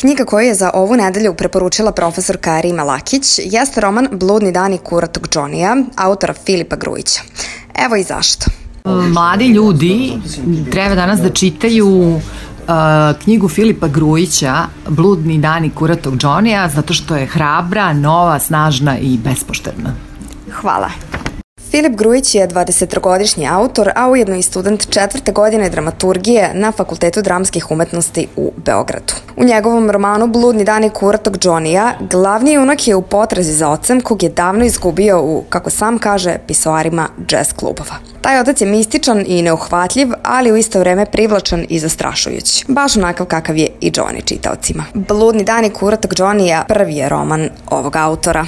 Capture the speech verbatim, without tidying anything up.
Knjiga koju je za ovu nedelju preporučila profesorka Rima Lakić jeste roman Bludni dani kuratog Džonija, autora Filipa Grujića. Evo i zašto. Mladi ljudi treba danas da čitaju uh, knjigu Filipa Grujića Bludni dani kuratog Džonija zato što je hrabra, nova, snažna i bespoštedna. Hvala. Filip Grujić je dvadesettrogodišnji autor, a ujedno i student četvrte godine dramaturgije na Fakultetu dramskih umetnosti u Beogradu. U njegovom romanu Bludni dani kuratog Džonija glavni junak je u potrazi za ocem kog je davno izgubio u, kako sam kaže, pisoarima džez klubova. Taj otac je mističan i neuhvatljiv, ali u isto vreme privlačan i zastrašujući. Baš onakav kakav je i Džoni čitaocima. Bludni dani kuratog Džonija prvi je roman ovog autora.